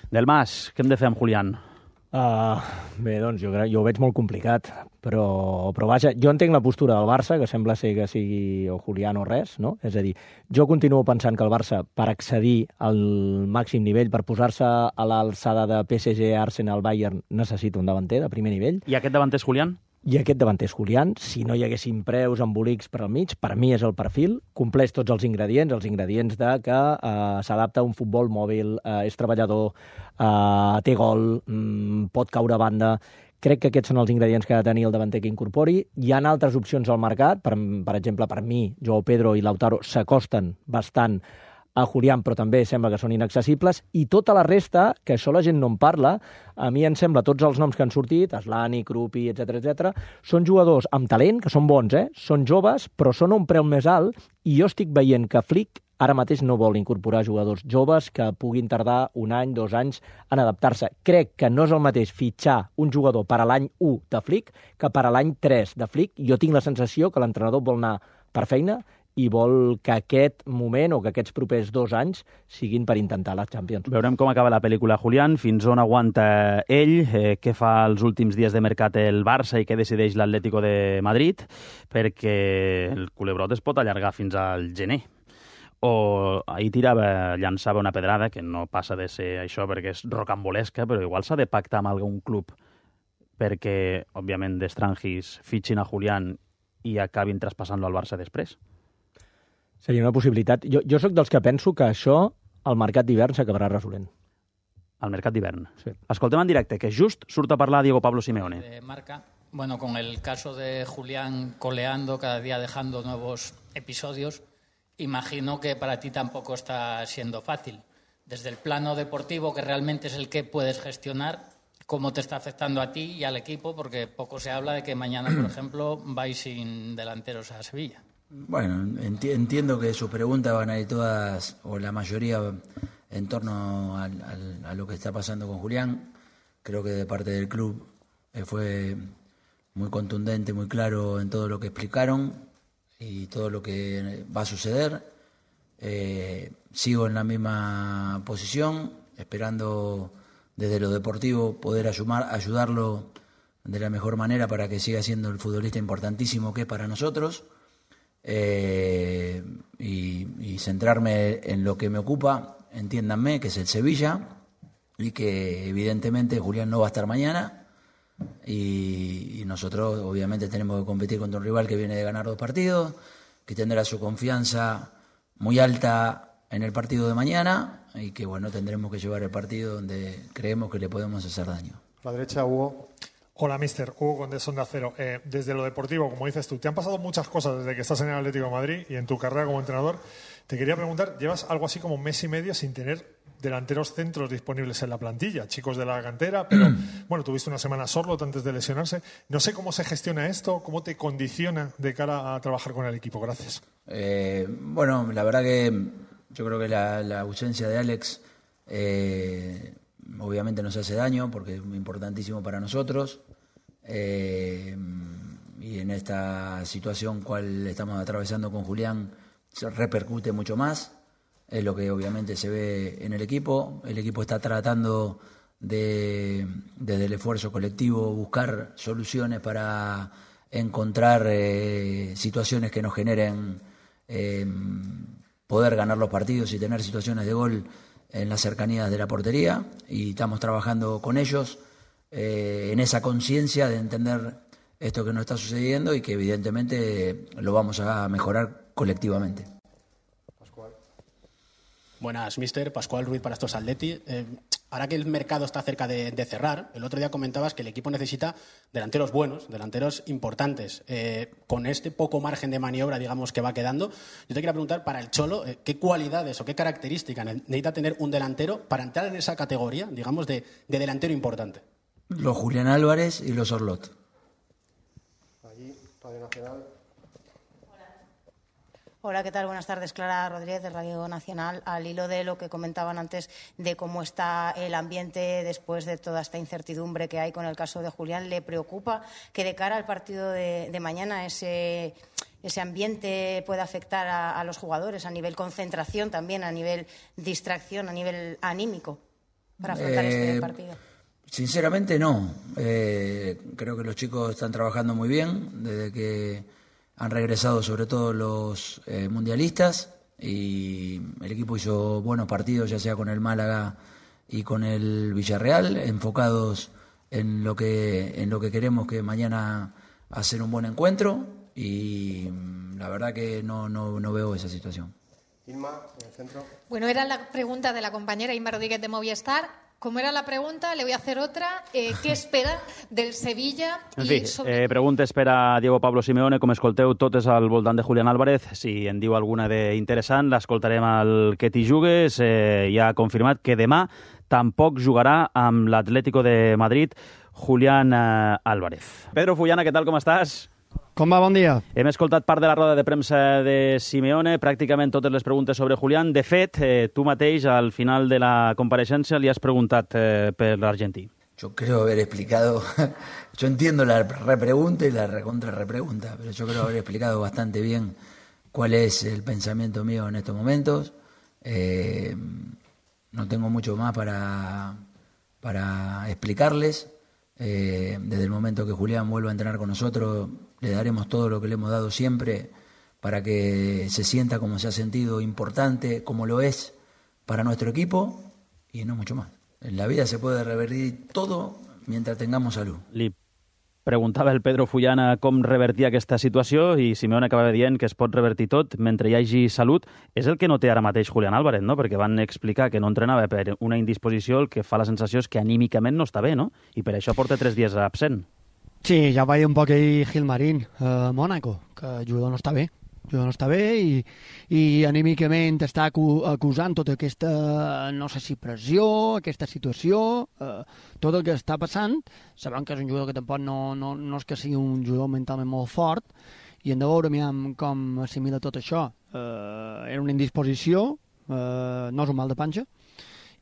Del Mas, què hem de fer amb Julián? Bé, doncs jo ho veig molt complicat, però vaja, jo entenc la postura del Barça, que sembla ser que sigui o Julián o res, no? És a dir, jo continuo pensant que el Barça, per accedir al màxim nivell, per posar-se a l'alçada de PSG, Arsenal, Bayern, necessita un davanter de primer nivell. I aquest davanter és Julián? I aquest davanter és Julián. Si no hi haguessin preus, embolics per al mig, per mi és el perfil, compleix tots els ingredients de que s'adapta a un futbol mòbil, és treballador, té gol, pot caure a banda. Crec que aquests són els ingredients que ha de tenir el davanter que incorpori. Hi ha altres opcions al mercat, per exemple, per mi, Joao Pedro i Lautaro s'acosten bastant a Julián, però també sembla que són inaccessibles, i tota la resta, que això la gent no en parla, a mi em sembla, tots els noms que han sortit, Aslani, Krupi, etc, són jugadors amb talent, que són bons, són joves, però són a un preu més alt, i jo estic veient que Flick ara mateix no vol incorporar jugadors joves que puguin tardar 1 any, 2 anys en adaptar-se. Crec que no és el mateix fitxar un jugador per a l'any 1 de Flick que per a l'any 3 de Flick. Jo tinc la sensació que l'entrenador vol anar per feina i vol que aquest moment o que aquests propers 2 anys siguin per intentar la Champions. Veurem com acaba la pel·lícula Julián, fins on aguanta ell, què fa els últims dies de mercat el Barça i què decideix l'Atlético de Madrid, perquè el culebrot es pot allargar fins al gener. O ahir llançava una pedrada, que no passa de ser això perquè és rocambolesca, però igual s'ha de pactar amb algun club perquè, òbviament, d'estrangis fitxin a Julián i acabin traspassant-lo al Barça després. Seria una possibilitat. Jo sóc dels que penso que això al mercat d'hivern s'acabarà resolent. Al mercat d'hivern. Sí. Escoltem en directe, que just surt a parlar Diego Pablo Simeone. Marca, bueno, con el caso de Julián coleando, cada día dejando nuevos episodios, imagino que para ti tampoco está siendo fácil. Desde el plano deportivo, que realmente es el que puedes gestionar, ¿cómo te está afectando a ti y al equipo? Porque poco se habla de que mañana, por ejemplo, vais sin delanteros a Sevilla. Bueno, entiendo que sus preguntas van a ir todas, o la mayoría, en torno a lo que está pasando con Julián. Creo que de parte del club fue muy contundente, muy claro en todo lo que explicaron y todo lo que va a suceder. Sigo en la misma posición, esperando desde lo deportivo poder ayudarlo de la mejor manera para que siga siendo el futbolista importantísimo que es para nosotros. Y centrarme en lo que me ocupa, entiéndanme, que es el Sevilla, y que evidentemente Julián no va a estar mañana, y nosotros obviamente tenemos que competir contra un rival que viene de ganar 2 partidos, que tendrá su confianza muy alta en el partido de mañana, y que bueno, tendremos que llevar el partido donde creemos que le podemos hacer daño. A la derecha, Hugo. Hola, mister. Hugo Condés, Onda Cero. Desde lo deportivo, como dices tú, te han pasado muchas cosas desde que estás en el Atlético de Madrid y en tu carrera como entrenador. Te quería preguntar, llevas algo así como 1 mes y medio sin tener delanteros centros disponibles en la plantilla, chicos de la cantera, pero bueno, tuviste una semana Sorloth antes de lesionarse. No sé cómo se gestiona esto, cómo te condiciona de cara a trabajar con el equipo. Gracias. Bueno, la verdad que yo creo que la ausencia de Alex obviamente nos hace daño porque es muy importantísimo para nosotros, y en esta situación cual estamos atravesando con Julián se repercute mucho más, es lo que obviamente se ve en el equipo está tratando de, desde el esfuerzo colectivo, buscar soluciones para encontrar situaciones que nos generen poder ganar los partidos y tener situaciones de gol en las cercanías de la portería, y estamos trabajando con ellos en esa conciencia de entender esto que nos está sucediendo y que evidentemente lo vamos a mejorar colectivamente. Pascual. Buenas, mister. Pascual Ruiz para estos Atleti. Ahora que el mercado está cerca de cerrar, el otro día comentabas que el equipo necesita delanteros buenos, delanteros importantes. Con este poco margen de maniobra, digamos, que va quedando, yo te quería preguntar, para el Cholo, ¿qué cualidades o qué características necesita tener un delantero para entrar en esa categoría, digamos, de delantero importante? Los Julián Álvarez y los Sorloth. Allí, Radio Nacional. Hola, ¿qué tal? Buenas tardes. Clara Rodríguez, de Radio Nacional. Al hilo de lo que comentaban antes de cómo está el ambiente después de toda esta incertidumbre que hay con el caso de Julián, ¿le preocupa que de cara al partido de mañana ese ambiente pueda afectar a los jugadores a nivel concentración, también a nivel distracción, a nivel anímico? para afrontar este partido? Sinceramente no. Creo que los chicos están trabajando muy bien desde que han regresado, sobre todo los mundialistas, y el equipo hizo buenos partidos, ya sea con el Málaga y con el Villarreal, enfocados en lo que queremos, que mañana hacer un buen encuentro, y la verdad que no veo esa situación. Inma, en el centro. Bueno, era la pregunta de la compañera Inma Rodríguez de Movistar. Como era la pregunta, le voy a hacer otra. ¿Qué espera del Sevilla? En fi, preguntes per a Diego Pablo Simeone. Com escolteu, totes al voltant de Julián Álvarez. Si en diu alguna d'interessant, l'escoltarem al Que t'hi jugues. Ja ha confirmat que demà tampoc jugarà amb l'Atlético de Madrid Julián Álvarez. Pedro Fullana, què tal, com estàs? Com va? Bon dia. Hem escoltat part de la roda de premsa de Simeone, pràcticament totes les preguntes sobre Julián. De fet, tu mateix, al final de la compareixença, li has preguntat per l'argentí. Yo creo haber explicado, yo entiendo la repregunta y la recontra-repregunta, pero yo creo haber explicado bastante bien cuál es el pensamiento mío en estos momentos. No tengo mucho más para explicarles. Desde el momento que Julián vuelva a entrenar con nosotros, le daremos todo lo que le hemos dado siempre para que se sienta como se ha sentido, importante, como lo es para nuestro equipo, y no mucho más. En la vida se puede revertir todo mientras tengamos salud. Li preguntava el Pedro Fullana com revertir aquesta situació i Simeone acabava dient que es pot revertir tot mentre hi hagi salut. És el que no té ara mateix Julián Álvarez, no? Perquè van explicar que no entrenava per una indisposició, el que fa la sensació és que anímicament no està bé, no? I per això porta 3 dies absent. Sí, ja va dir un poc ahir Gilmarín a Mònaco, que el jugador no està bé. El jugador no està bé i anímicament està acusant tota aquesta, no sé si pressió, aquesta situació, tot el que està passant. Sabem que és un jugador que tampoc no és que sigui un jugador mentalment molt fort, i hem de veure com assimila tot això. Era una indisposició, no és un mal de panxa,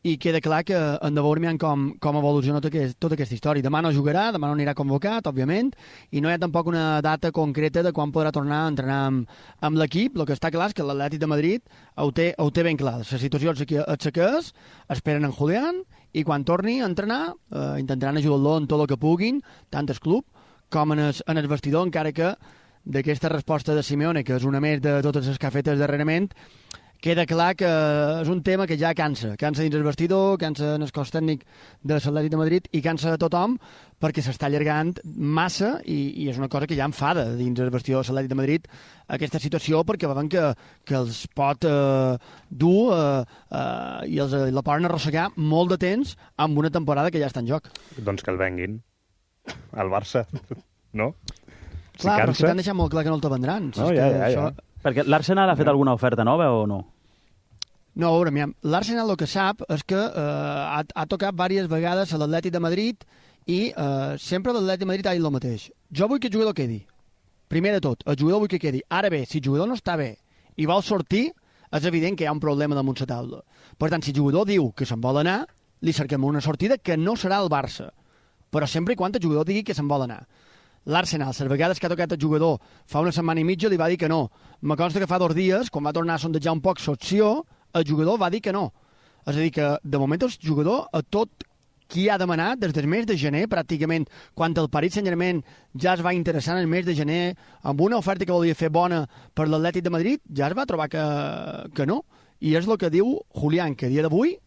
i queda clar que hem de veure com evoluciona tota aquesta història. Demà no jugarà, demà no anirà convocat, òbviament, i no hi ha tampoc una data concreta de quan podrà tornar a entrenar amb l'equip. El que està clar és que l'Atlètic de Madrid ho té ben clar. La situació és que és, esperen en Julián, i quan torni a entrenar intentaran ajudar-lo en tot el que puguin, tant el club com en el vestidor, encara que d'aquesta resposta de Simeone, que és una més de totes les que ha fet darrerament, queda clar que és un tema que ja cansa dins el vestidor, cansa en el cos tècnic de l'Atlètic de Madrid i cansa de tothom, perquè s'està allargant massa i és una cosa que ja enfada dins el vestidor de l'Atlètic de Madrid, aquesta situació, perquè veuen que els pot dur i la poden arrossegar molt de temps amb una temporada que ja està en joc. Doncs que el venguin al Barça, no? Clar, però si t'han deixat molt clar que no el te vendran. No, ja. Perquè l'Arsenal ha fet alguna oferta nova o no? No, a veure, l'Arsenal el que sap és que ha tocat diverses vegades a l'Atlètic de Madrid i sempre l'Atlètic de Madrid ha dit el mateix. Jo vull que el jugador quedi. Primer de tot, el jugador vull que quedi. Ara bé, si el jugador no està bé i vol sortir, és evident que hi ha un problema damunt la taula. Per tant, si el jugador diu que se'n vol anar, li cerquem una sortida que no serà el Barça. Però sempre i quan el jugador digui que se'n vol anar. L'Arsenal, les vegades que ha tocat el jugador fa una setmana i mitja, li va dir que no. Me consta que fa 2 dies, quan va tornar a sondejar un poc l'opció, el jugador va dir que no. És a dir, que de moment el jugador, a tot qui ha demanat, des del mes de gener, pràcticament, quan el Paris Saint-Germain ja es va interessar en el mes de gener, amb una oferta que volia fer bona per l'Atlètic de Madrid, ja es va trobar que no. I és el que diu Julián, que a dia d'avui,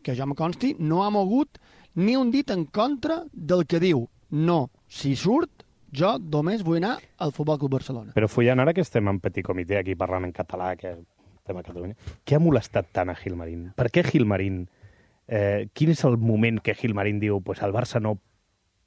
que jo me consti, no ha mogut ni un dit en contra del que diu. No, si surt, jo només vull anar al Futbol Club Barcelona. Però Fullan, ara que estem en petit comitè aquí parlant en català, que estem a Catalunya, què ha molestat tant a Gilmarín? Per què Gilmarín? Quin és el moment que Gilmarín diu pues al Barça no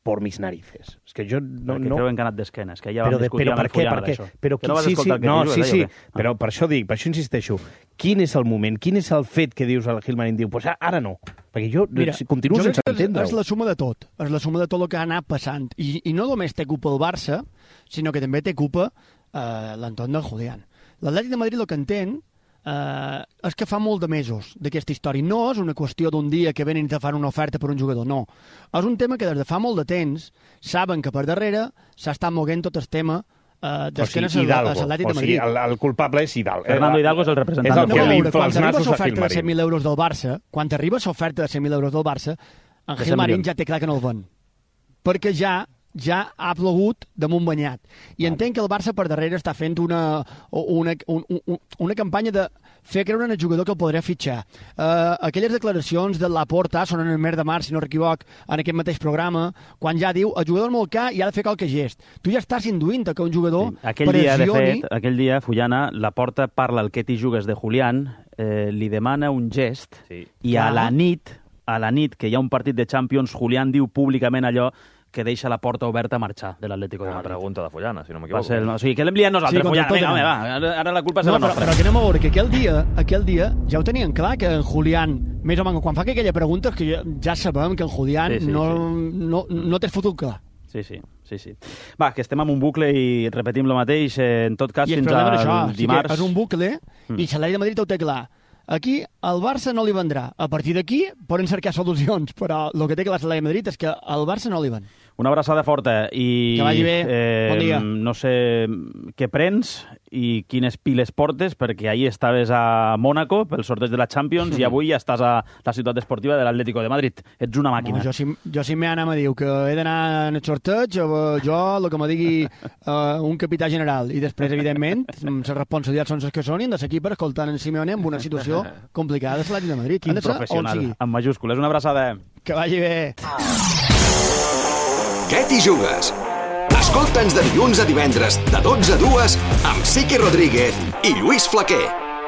por mis narices? És que jo no... Perquè creu que han anat d'esquena, és que ja vam discutir amb el Fullan d'això. Però que no vas escoltar el que sí, però per això dic, per això insisteixo. Quin és el moment, quin és el fet que dius al Gilmarín? Diu, pues ara no. Perquè jo continuo sense entendre-ho. És la suma de tot. És la suma de tot el que ha anat passant. I no només té culpa el Barça, sinó que també té culpa l'entorn del Julián. L'Atlètic de Madrid el que entén és que fa molt de mesos d'aquesta història. No és una qüestió d'un dia que venen i te fan una oferta per un jugador, no. És un tema que des de fa molt de temps saben que per darrere s'ha estat moguent tot el tema Hidalgo. O sigui, el culpable és Hidalgo. Fernando Hidalgo és el representant. És el que li infla quan els arriba nassos a l'oferta de Gilmarín. 100.000 euros del Barça, quan arriba l'oferta de 100.000 euros del Barça, en Gilmarín ja té clar que no el ven. Perquè ja ha plogut damunt banyat. I entenc que el Barça per darrere està fent una campanya de fer creure en el jugador que el podrà fitxar. Aquelles declaracions de Laporta són en el mes de març, si no m'equivoc, en aquest mateix programa, quan ja diu el jugador molt car i ha de fer qualque gest. Tu ja estàs induint que un jugador pressioni... Aquell dia, Fullana, Laporta parla al Ketty Jugues de Julián, li demana un gest i a la nit, que hi ha un partit de Champions, Julián diu públicament allò que deixa la porta oberta a marxar de l'Atlético de Madrid. Una pregunta de Fullana, si no m'equivoco. O sigui, que l'hem liat nosaltres, Fullana. Vinga, va, ara la culpa serà nostra. Però que anem a veure que aquell dia ja ho tenien clar, que en Julián, més o menys, quan fa aquella pregunta, que ja sabem que en Julián no té futur clar. Sí. Va, que estem en un bucle i repetim el mateix, en tot cas, fins al dimarts. És un bucle i l'Atlètic de Madrid ho té clar. Aquí el Barça no li vendrà. A partir d'aquí poden cercar solucions, però el que té clar l'Atlètic de Madrid és que al Barça no li ven. Una abraçada forta i... Que vagi bé. Bon dia. No sé què prens i quines piles portes, perquè ahir estaves a Mònaco pel sorteig de la Champions i avui ja estàs a la ciutat esportiva de l'Atlético de Madrid. Ets una màquina. Jo si m'anam a dir que he d'anar en el sorteig, jo el que me digui un capità general i després, evidentment, les responsabilitats són les que són i hem de seguir per escoltant en Simeone en una situació complicada de l'Atlètic de Madrid. Quin professional, amb majúscules. Una abraçada. Que vagi bé. Què t'hi jugues? Escolta'ns de dilluns a divendres, de 12 a 2, amb Sique Rodríguez i Lluís Flaquer.